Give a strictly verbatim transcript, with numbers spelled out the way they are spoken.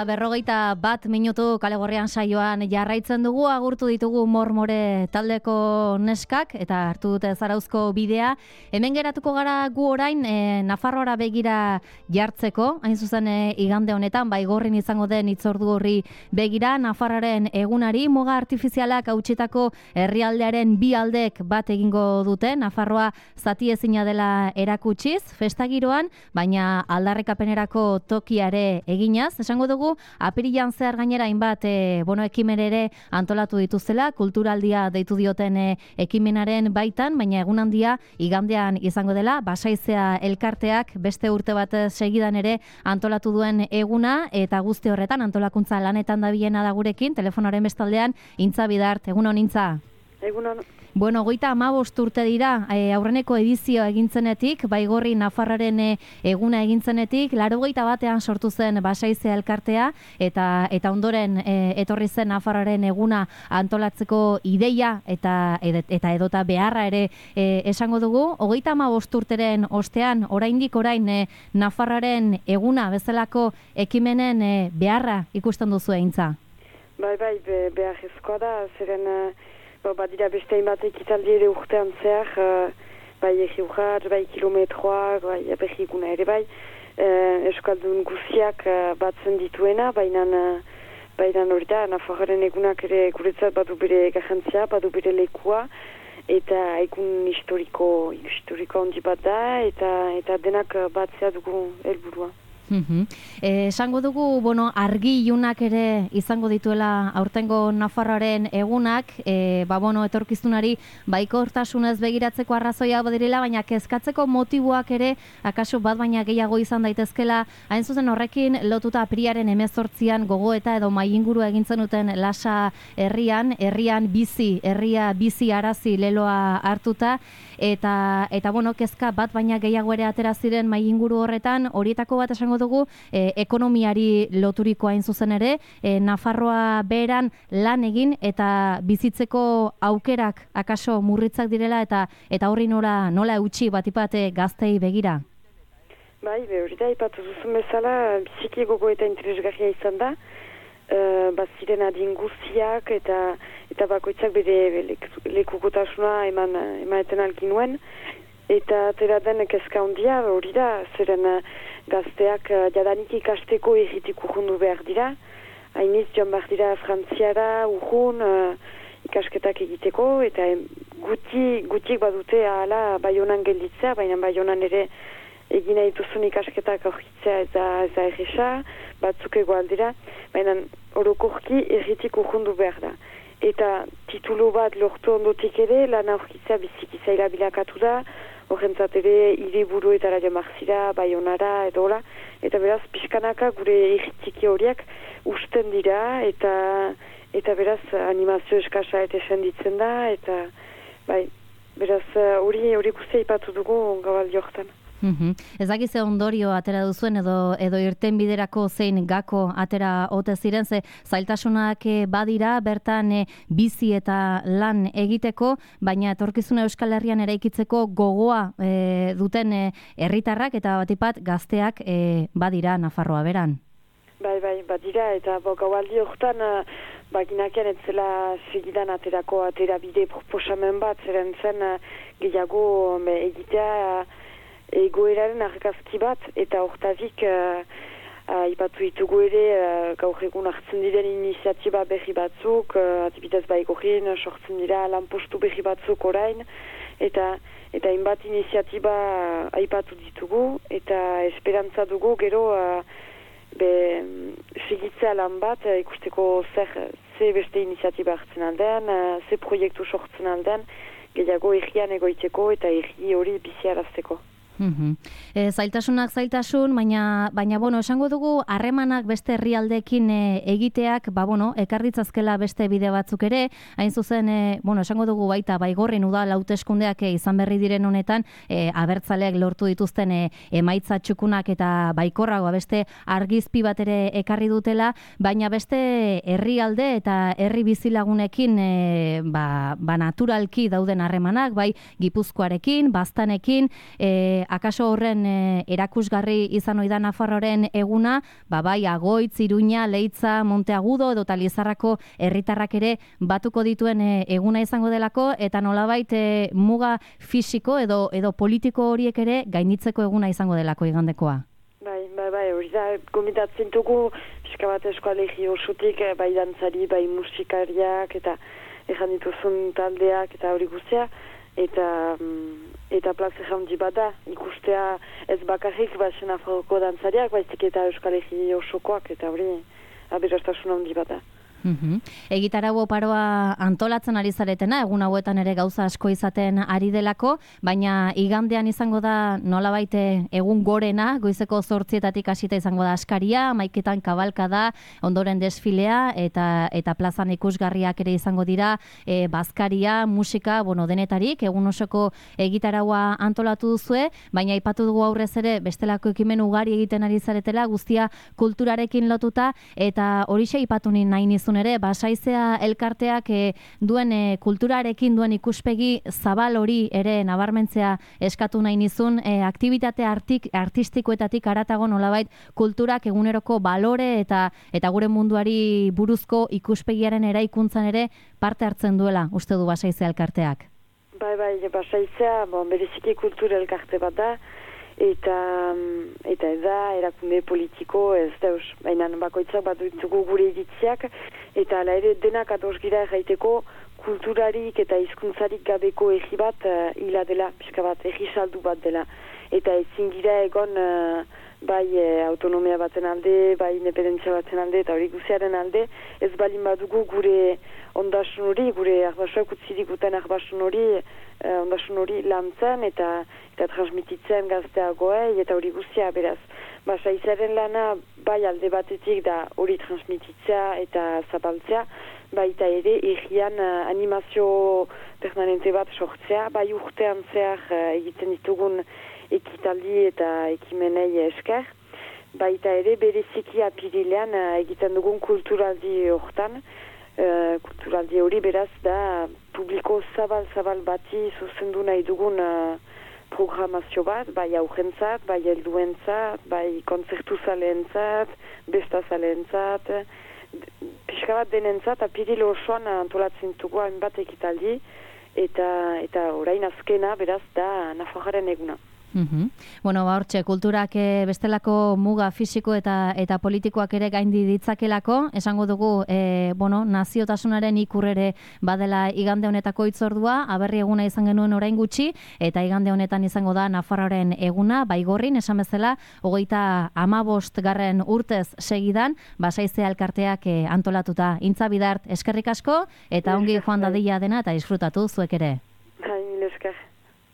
eta berrogeita bat minutu Kale Gorrian saioan jarraitzen dugu, agurtu ditugu Mormore taldeko neskak eta hartu dute Zarauzko bidea. Hemen geratuko gara gu orain e, Nafarroara begira jartzeko, hain zuzen e, igande honetan, Baigorrin izango den hitzordu horri begira, Nafarroaren egunari muga artifizialak hautsitako herrialdearen bi aldek bat egingo dute, Nafarroa zati ezina dela erakutsiz, festagiroan, baina aldarrekapenerako tokiare eginaz, esango dugu, apirilan zehar gainera hainbat e, bueno, ekimen ere antolatu dituzela, kulturaldia deitu dioten e, ekimenaren baitan, baina egun handia igandean izango dela, Basaizea elkarteak beste urte bat segidan ere antolatu duen eguna, eta guzti horretan antolakuntza lanetan dabilena da gurekin, telefonoaren bestaldean, Intza Bidart, egunon Intza? Egunon. Bueno, goita hamabost urte dira, e, aurreneko edizio egintzenetik, Baigorri Nafarraren e, eguna egintzenetik, laurogeita batean sortu zen Basaizea elkartea, eta eta ondoren e, etorri zen Nafarraren eguna antolatzeko ideia eta eta edota beharra ere e, esango dugu. Hogeita hamabost urteren ostean, oraindik orain e, Nafarraren eguna bezalako ekimenen e, beharra ikusten duzu Intza? Bai, bai, be, beharrezkoa da, zeren... Ba, badira beste hainbat ekitaldi ere urtean zehar, uh, bai egi urrat, bai kilometroak, bai abegiguna ere bai, uh, Euskaldun guziak uh, batzen dituena, baina uh, baina hori da, Nafarroaren egunak ere guretzat badu bere garrantzia, badu bere lekua, eta egun historiko, historiko handi bat da, eta, eta denak batzea dugu helburua. Mm-hmm. Eh, esango dugu, bueno, argi ilunak ere izango dituela aurtengo Nafarroaren egunak, eh, ba, bueno, etorkizunari baikortasunez begiratzeko arrazoia badirela, baina kezkatzeko motiboak ere, akaso bat baina gehiago izan daitezkela, hain zuzen horrekin lotuta apiriaren hemezortzian gogoeta edo mailinguru egintzen duten Lasa herrian, herrian bizi, herria bizi arazi leloa hartuta, eta, eta bueno, kezka bat baina gehiago ere atera ziren mailinguru horretan, horietako bat esango dugu, e, ekonomiari loturiko hain zuzen ere, e, Nafarroa beheran lan egin eta bizitzeko aukerak akaso murritzak direla eta eta horri nola, nola eutxi batipate gaztei begira? Bai, hori da, ipatu duzun bezala, biziki gogo eta interesgarria izan da, uh, baziren adin guztiak eta eta bakoitzak bere lekukotasuna eman, emaeten alginuen, eta atera den kezka handia hori da, zeren gazteak uh, jadanik ikasteko erritik urrundu behar dira. Hainiz joan behar dira Frantziara urrun uh, ikasketak egiteko, eta guti, gutik badute ahala Baionan gelditzea, baina Baionan ere egina dituzun ikasketak aurkitzea ez da erresa, batzuk egoal dira, baina orokorki erritik urrundu behar da. Eta titulu bat lortu ondotik ere, lan aurkitzea biziki zaila bilakatu da, horrentzat ere hiriburuetara joan marzira, Baionara edo hola, eta beraz pixkanaka gure irritiki horiak usten dira, eta eta beraz animazio eskasa eta senditzen da, eta bai, beraz hori hori guztia ipatu dugu gabaldi horretan. Mm-hmm. Ez dakize ondorio atera duzuen edo edo irten biderako zein gako atera ote ziren, ze zailtasunak badira bertan e, bizi eta lan egiteko, baina etorkizuna Euskal Herrian eraikitzeko gogoa e, duten herritarrak eta batipat gazteak e, badira Nafarroa beran. Bai, bai, badira, eta gaualdi horretan uh, baginakean etzela segidan aterako atera bide proposamen bat, zeren zen uh, gehiago be, egitea uh, egoeraren argazki bat, eta hortazik uh, uh, ipatu ditugu ere uh, gaur egun hartzen diren iniziatiba berri batzuk, uh, adibidez Baigorrin sortzen dira lanpostu berri batzuk orain, eta eta hainbat iniziatiba uh, aipatu ditugu, eta esperantza dugu gero uh, be, segitzea lan bat, uh, ikusteko zer, ze beste iniziatiba hartzen aldean, uh, ze proiektu sortzen aldean, gehiago errian egoiteko eta erri hori biziarazteko. Mm-hmm. E, zailtasunak zailtasun, baina, baina bueno, esango dugu harremanak beste herrialdeekin e, egiteak, ba, bueno, ekarritzazkela beste bide batzuk ere, hain zuzen, e, bueno, esango dugu baita, Baigorrin udal hauteskundeak e, izan berri diren honetan, e, abertzaleak lortu dituzten e, emaitza txukunak eta baikorragoa beste argizpi bat ere ekarri dutela, baina beste herrialde eta herri bizilagunekin e, ba, ba naturalki dauden harremanak, bai Gipuzkoarekin, Baztanekin, e, akaso horren e, erakusgarri izan ohi da Nafarroaren eguna, ba bai Agoitz, Iruña, Leitza, Monteagudo edo Lizarrako herritarrak ere batuko dituen e, eguna izango delako, eta nolabait e, muga fisiko edo edo politiko horiek ere gainditzeko eguna izango delako igandekoa. Bai, bai, bai, hori da, gomitatzen dugu, pixka bat eskoalegi osotik, bai dantzari, bai musikariak, eta ejan dituzun taldeak, eta hori guztia, eta eta plaza jaundi bat da, ikustea ez bakarrik, ba, Nafarroko dantzariak, baizik eta eskoalegi osokoak, eta hori aberastasun handi bat da. Uhum. Egitarau oparoa antolatzen ari zaretena, egun hauetan ere gauza asko izaten ari delako, baina igandean izango da nolabait egun gorena, goizeko zortzietatik hasita izango da askaria, maiketan kabalka da, ondoren desfilea, eta eta plazan ikusgarriak ere izango dira, e, bazkaria, musika, bueno, denetarik, egun osoko egitaraua antolatu duzue, baina aipatu dugu aurrez ere, bestelako ekimen ugari egiten ari zaretela, guztia kulturarekin lotuta, eta horixe aipatu nahi nizun ere, Basaizea elkarteak e, duen e, kulturarekin duen ikuspegi zabal hori ere nabarmentzea eskatu nahi nizun, e, aktibitate artik, artistikoetatik aratago nolabait kulturak eguneroko balore eta eta gure munduari buruzko ikuspegiaren eraikuntzan ere parte hartzen duela, uste du Basaizea elkarteak. Bai, bai, Basaizea, bon, bereziki kultura elkarte bat da, eta eta ez da erakunde politiko, ez da, baina bakoitzak bat ditugu gure iritziak, eta ala ere denak ados gira erraiteko kulturarik eta hizkuntzarik gabeko egi bat uh, hila dela, pixka bat, egi saldu bat dela. Eta ezin gira egon uh, bai eh, autonomia baten alde, bai independentzia baten alde, eta hori guziaren alde, ez balin badugu gure ondasun hori, gure arbasuak utzirik uten arbasun hori, uh, ondasun hori lantzen eta eta transmititzen gazteagoei, eta hori guzia beraz. Basaizaren lana bai alde batetik da hori transmititzea eta zabaltzea, baita ere egian uh, animazio permanente bat sortzea, bai urtean zehar uh, egiten ditugun ekitaldi eta ekimenei esker, baita ere bereziki apirilean uh, egiten dugun kulturaldi hortan, uh, kulturaldi hori beraz da publiko zabal-zabal bati zuzendu nahi dugun uh, programazio bat, bai aurrentzat, bai helduentzat, bai kontzertuzaleentzat, bestazaleentzat, pixka bat denentzat, apiril osoan antolatzen dugu hainbat ekitaldi, eta eta orain azkena beraz da Nafarroaren eguna. Uhum. Bueno, ba, hortxe, kulturak e, bestelako muga fisiko eta eta politikoak ere gaindi ditzakelako, esango dugu, e, bueno, naziotasunaren ikurrere badela igande honetako hitzordua, aberri eguna izan genuen orain gutxi, eta igande honetan izango da Nafarroaren eguna, Baigorrin, esan bezala, hogeita hamabost garren urtez segidan, Basaizea elkarteak e, antolatuta. Intza Bidart, eskerrik asko, eta ongi joan dadila dena, eta disfrutatu zuek ere.